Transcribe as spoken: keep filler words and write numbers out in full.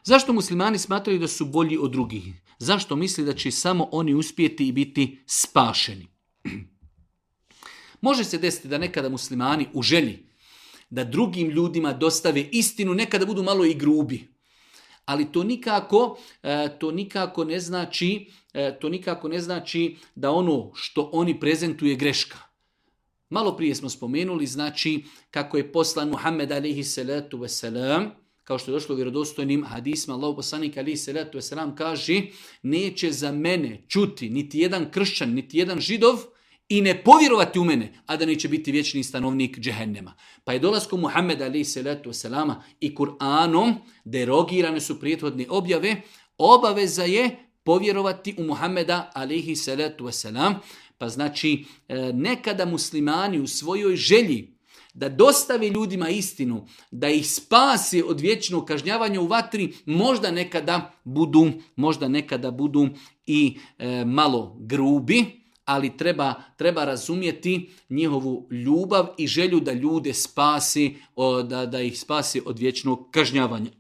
Zašto muslimani smatraju da su bolji od drugih? Zašto misli da će samo oni uspjeti i biti spašeni? Može se desiti da nekada muslimani u želji da drugim ljudima dostave istinu, nekada budu malo i grubi. Ali to nikako, to nikako ne znači, to nikako ne znači da ono što oni prezentuju je greška. Malo prije smo spomenuli, znači, kako je poslan Muhammed alejhi salatu vesselam, kao što je došlo u vjerodostojnim hadisma, Allahov poslanik alejhi salatu vesselam kaže: neće za mene čuti niti jedan kršćan, niti jedan židov i ne povjerovati u mene, a da neće biti vječni stanovnik džehennema. Pa je dolaskom Muhammeda alejhi salatu vesselama i Kur'anom derogirane su prethodne objave, obaveza je povjerovati u Muhammeda alejhi salatu vesselam. Pa znači, nekada muslimani u svojoj želji da dostavi ljudima istinu, da ih spasi od vječnog kažnjavanja u vatri, možda nekada budu, možda nekada budu i e, malo grubi, ali treba, treba razumjeti njihovu ljubav i želju da ljude spasi, da, da ih spasi od vječnog kažnjavanja.